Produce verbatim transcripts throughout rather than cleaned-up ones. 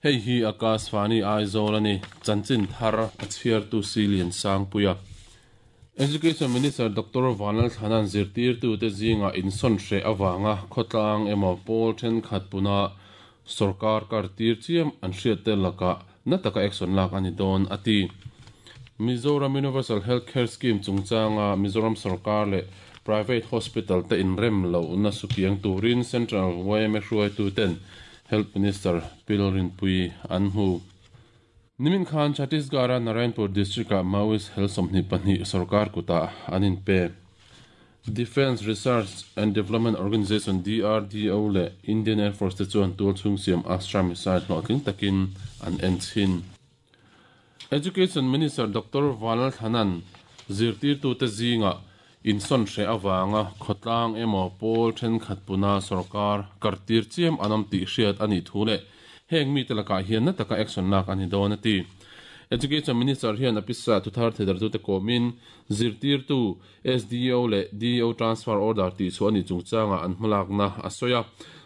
Hei hi Akashvani Aizawl ani chanchin thar a chhiar tu Silian Sangpuia. Education Minister Doctor Vanlal Thanan zirtir tu te zinga inson hre awanga khotlang emaw pawl then khat puna sarkar kar tir chiam an hriat te laka na taka action lak ani don ati. Mizoram Universal Healthcare Scheme chungchanga Mizoram sarkar le private hospital te inrem lo na sukiang turin Central Y M A hruai tu ten Health Minister Pilrin Pui an hu. Nimin Khan Chhattisgarh Narayanpur district a Maoist Health Somni Pani Sarkar kuta anin pe. Defense Research and Development Organization D R D O le Indian Air Force te chuan tul chung siam Astra missile hlawhtling takin an en chin. Education Minister Doctor Vanlal Thanan zirtir tu te zinga inson hre awanga khotlang emaw pawl then khat puna sarkar kartir chiam anam ti hriat ani thule heng mi telaka hian na taka action lak ani don ati. Education Minister hian apisa thuthar thedar tu te komin zirtir tu S D O le D O transfer order ti chu ani chungchanga an hmalak na asoya.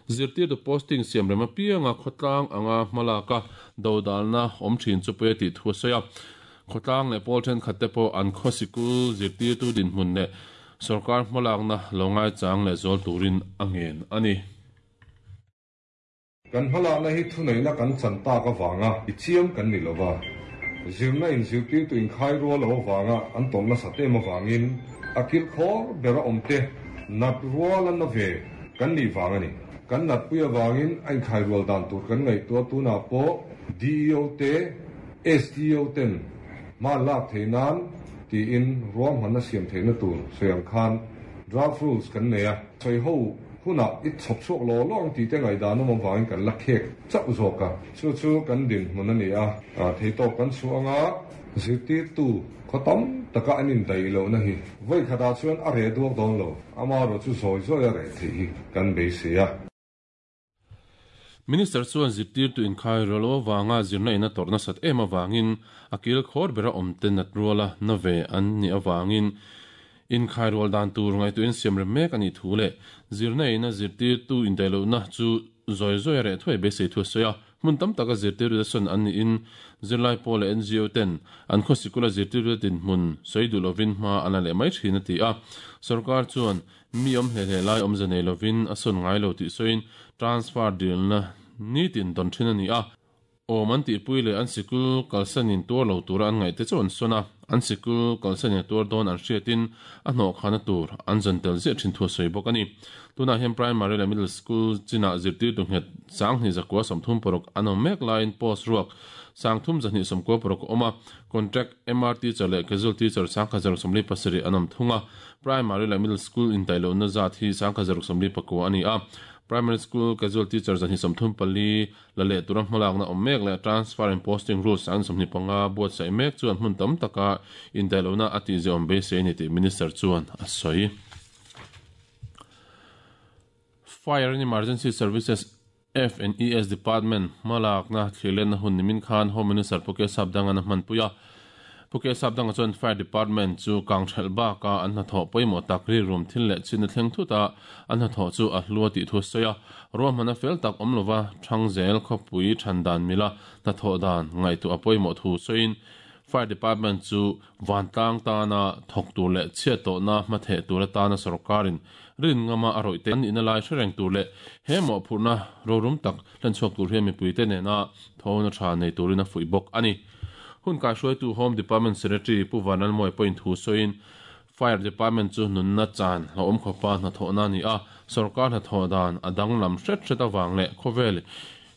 Zirtir tu posting siam rema pianga khotlang anga hmalaka dodal na om thin chu pe ti thu soya. Khotlang le pawl then khat te po an khosikul zirtir tu din hmun le sarkar hmalak na longai chang le zol turin angen ani. Kan hmalak na hi thu nei na kan chan ta ka wanga i chiam kan ni lova. Zirna in zirtir tu in khai ro lo wanga an tom na sate ma wangin akil khor bera omte nat rual an na ve kan ni wanga ni. Kan nat puya wangin an khai rual dan tur kan ngai to tu na po D E O te S D O ten ma lak theinan ti in ruam han na siam theina tur soyang khan draft rules kan ne a choi ho huna it chop chok lo long ti te ngai dan mo wangin kan lakhek chau zoka chu chu kan din mun ani a thei to kan chu anga zirtir tu khotam taka anin dai lo na hi voi khada chuan a re duak don lo ama ro chu zoi zoi a re thi hi kan be se a. Minister chuan zirtir tu inkhai rolo wanga zirna ina torna sat ema wangin akil khor bera omte nat ruala na ve an ni awangin inkhai rol dan tur ngai tu in siam rem mek ani thule zirna ina zirtir tu indailo na chu zoi zoi re thoi be se thu soya mun tam taka zirtir tu son an ni in zirlai pol N G O ten an khosikula zirtir tu tin mun soidu lovin ma ana le mai thina ti a sarkar chuan mi om hle hle lai om zane lovin ason ngai lo ti soin transfer deal na ni tin don thina ni a o man ti puile an sikul kalsanin tur lo tur an ngai te chon sona an sikul kalsanin tur don an hriatin a hno khana tur an zantel ze thin thu soi bok ani. Tuna hem primary le middle school china zirtir tu nget sang ni zakwa somthum porok anom mek line post ruak sang thum zani somko porok oma contract M R teacher le casual teacher sang khazar somli pasari anom thunga primary le middle school in tailo na zat hi sang khazar somli pakwa ani a primary school casual teacher zani somthum pali la le turam hmalak na omek le transfer and posting rules an somni panga buat sai mek chuan hmun tam taka in tailo na ati ze om be se ni ti minister chuan a soi. Fire and Emergency Services F and E S Department malak na thlilen na hun nimin khan Home Minister Puke Sapdanga na hmanpuia. Puke Sapdanga chuan Fire Department chu kangthel ba ka an hna thaw pawimawh tak ri rum thil leh chin a thleng thuta an hna thaw chu a hlua tih thu sawi a ruam hmana fel tak awm lova thangzel khawpui thandan mila hna thawh dan ngaihtuah a pawimawh thu sawiin Fire Department chu vantlang tana thawk tur leh chhiat tawhna hmatheh tur atana sarkarin rin ngama a rawih te an ina lai hre reng tur leh he mawhphurhna rorum tak hlanchhuak tur hian mipui te nena thawna tha nei turin a fuih bawk ani. Hun kai hruai tu Home Department Secretary Pu Vanlal Moi point thu sawiin Fire Department chu nunna chan hla awm khawpa hna thawhna ni a sarkar hna thawh dan a danglam hret hret awang leh khawvel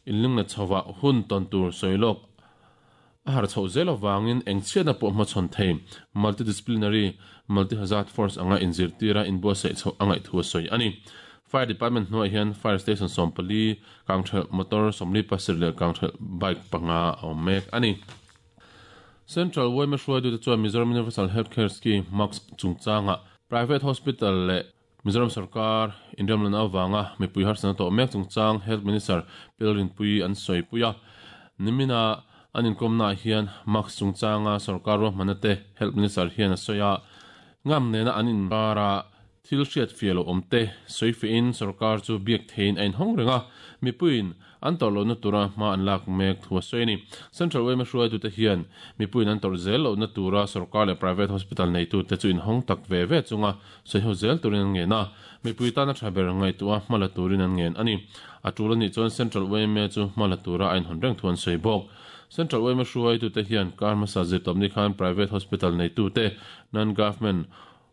inling na chhowa hun tawn tur sawilawk a har chho zel awangin eng chhiatna pawh hmachhawn thei multidisciplinary multi-hazard force anga inzirtira inbuatsaih chho a ngaih thu a sawi ani. Fire Department hnuaiah hian fire station sawmpali kangthel motor sawmli pasarih leh kangthel bike panga a awm mek ani. Central Y M A hruai tu te chuan Mizoram Universal Healthcare Scheme Max chungchanga private hospital le Mizoram sarkar inrem lana awanga mipui harsana tawh mek chungchang Health Minister Pilrin Pui an sawi puia. Nimina an inkomna hian Max chungchanga sarkar ruahmanna te Health Minister hian a sawi a ngam nena an inkara Thil hriat fiah lo awm te sawi fiahin sorkar chu biak theiin a inhawng reng a, mipuiin an tawrh lohna tura hma an lak mek thu a sawi a ni. Central Y M A hruaitute hian mipuiin an tawrh zel lohna tura sorkar leh private hospital neitute chu inhawng tak ve ve chunga sawiho zel turin an ngen a, mipui tana tha ber ngaihtuah a hma la turin an ngen a ni. A tul anih chuan Central Y M A chu hma la tura a inhawn reng thu an sawi bawk. Central Y M A hruaitute hian kar hmasa zirtawpni khan private hospital neitute non-government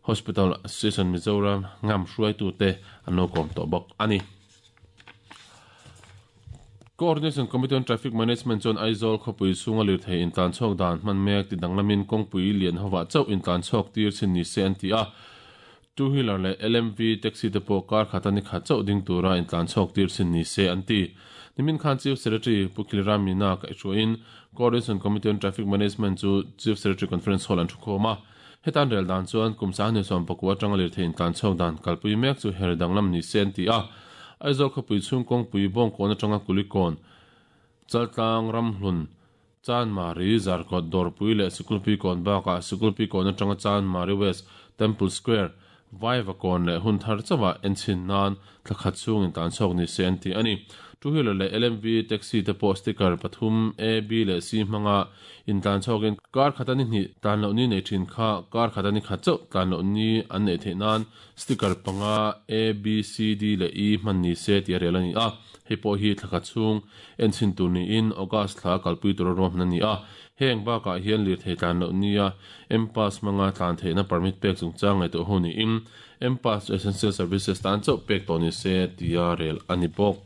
Hospital Association Mizoram ngam hruaitute an lo kawm tawh bawk a ni. Coordination Committee on Traffic Management chuan Aizawl khawpui chhunga lirthei intlan chhuak dan hman mek ti danglamin kawngpui lian hovah chauh intlan chhuak tir chin ni se an ti a. Two wheeler leh L M V taxi te pawh kar khat ani khat chauh ding tura intlan chhuak tir chin ni se an ti. Nimin khan Chief Secretary Pu Khilram Meena kaihhruaiin Coordination Committee on Traffic Management chu Chief Secretary Conference Hall an thu khawm a. Hetan rel dan chuan kum sang ni sawm pakua atanga lirthei intlan chhuak dan kalpui mek chu her danglam ni se an ti a. Aizawl khawpui chhung kawngpui bawngkawn atanga kulikawn chaltlang ramhlun Chanmari Zarkawt dawrpui leh Sikulpi kawn bakah Sikulpi kawn atanga Chanmari West Temple Square Vaivakawn leh hun thar chawah enchin nan thlakhat chhung intlan chhuak ni se an ti a ni. Two wheeler leh L M V taxi te pawh sticker pathum A, B leh C hmanga intlan chhuakin kar khat ani hnih tlan loh ni nei thin kha kar khat ani khat chauh tlan loh ni an nei theih nan sticker panga A, B, C, D leh E hman ni se ti a rel a ni a. Hei pawh hi thlakhat chhung enchin tur niin August thla kalpui tur a ruahman a ni a. Heng bakah hian lirthei tlan loh nia M-Pass hmanga tlan theihna permit pek chungchang ngaihtuah ho niin M-Pass chu essential services tan chauh pek tawh ni se tia rel a ni bawk.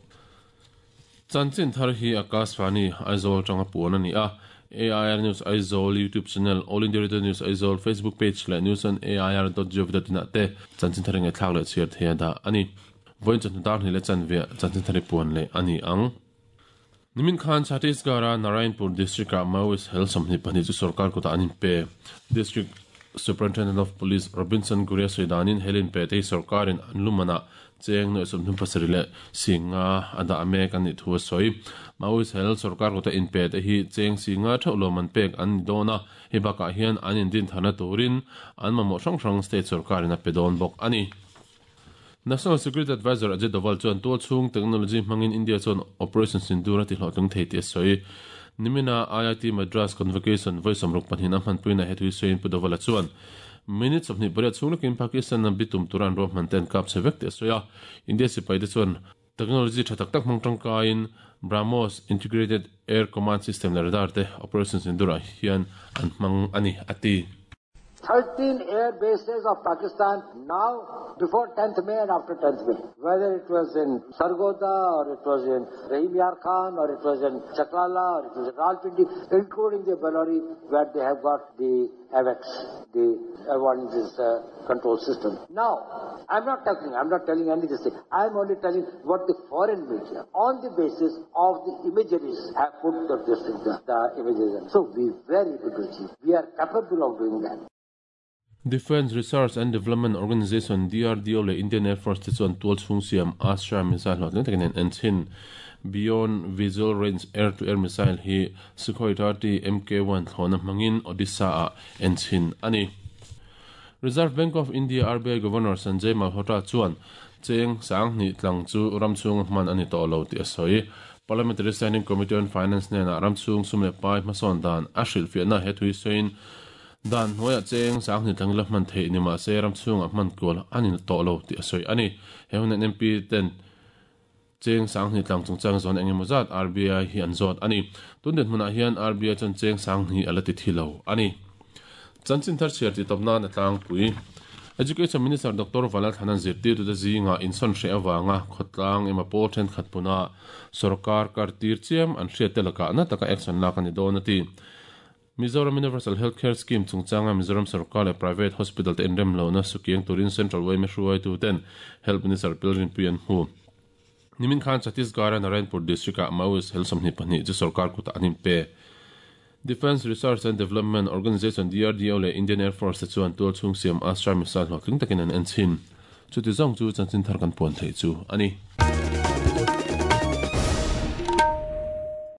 Chanchin thar hi Akashvani Aizawl tanga puan a ni a. A I R News Aizawl YouTube channel, All India Radio News Aizawl Facebook page leh news on A I R dot gov dot in ah te chanchin thar nge thlak leh chhiar thei a dah a ni. Vawiin chawhnu dar hnih leh chanve chanchin thar hi puan leh a ni ang. Nimin khan Chhattisgarh-a Narayanpur district-ah Maoist hel sawmhnih pahnih chu sorkar kutah an inpe. District Superintendent of Police Robinson Guria sawidanin hel inpe te hi sorkarin an lumanah cheng nuai sawmhnum pasarih leh singa a dah mek an nih thu a sawi. Maoist hel sorkar kutah inpe te hi cheng singa theuh lawm an pek an ni dawn a. Hei bakah hian an indin tharna turin an mamawh hrang hrang state sorkarin a pe dawn bawk a ni. National Security Advisor Ajit Doval chuan tual chhung technology hmangin India chuan Operation Sindoor a ti hlawhtlung thei tih a sawi. Nimina I I T Madras Convocation vawi sawmruk pahnih a hmanpuina hetui sawiin Pu Doval a chuan minute sawmhnih pariat chhung lekin Pakistan a bitum turan ruahman ten kap che vek tih a sawi a. India sipai te chuan technology tha tak tak hmang tangkaiin BrahMos Integrated Air Command System leh radar te Operation Sindoor ah hian an hmang a ni a ti. thirteen air bases of Pakistan now before tenth May and after tenth May. Whether it was in Sargodha or it was in Rahim Yar Khan or it was in Chaklala or it was in Rawalpindi, including the Bellary where they have got the AWACS, the air warning uh, control system. Now, I'm not talking, I'm not telling any of this thing. I'm only telling what the foreign media, on the basis of the imageries, have put the, this thing, the, the images in. So we were able to achieve. We are capable of doing that. Defence Research and Development Organization D R D O leh Indian Air Force te chuan tual chhung siam Astra missile hlawhtling takin an enchin. Beyond Visual Range Air-to-Air Missile hi Sukhoi thirty M K one thlawna hmangin Odisha ah enchin a ni. Reserve Bank of India R B I Governor Sanjay Malhotra chuan cheng sang hnih tlang chu ram chhung hman ani tawh lo tih a sawi. Parliamentary Standing Committee on Finance hnenah ram chhung sum leh pai hmasawn dan a hrilhfiahna hetui sawiin dan hnuaiah cheng sang hnih tlang la hman theih ni mah se ram chhungah hman kual ani tawh lo tih a sawi a ni. He hunan M P ten cheng sang hnih tlang chungchang zawn engemaw zat R B I hi an zawt a ni. Tun den hmunah hian R B I chuan cheng sang hnih a la ti thi lo a ni. Chanchin thar chhiar ti tawp nan a tlangpui. Education Minister Doctor Vanlal Thlana'n zirtirtute zinga insawn hreh awanga khawtlang emaw pawl thenkhat puna sorkar kar tir chiam an hriat te lakah na taka action lak ani dawn a ti. Mizoram Universal Healthcare Scheme chungchanga Mizoram Sarkar leh Private Hospital te inrem lohna sukiang turin Central Y M A hruaitu ten Health Minister Pilrin Pui an hmu. Nimin khan Chhattisgarh Narayanpur district ah Maoist hel sawmhnih pahnih chu sorkar kutah an inpe. Defence Research and Development Organization D R D O leh Indian Air Force te chuan tual chhung siam Astra missile hlawhtling takin an enchin. Chuti zawng chu chanchin thar kan puan thei chu a ni.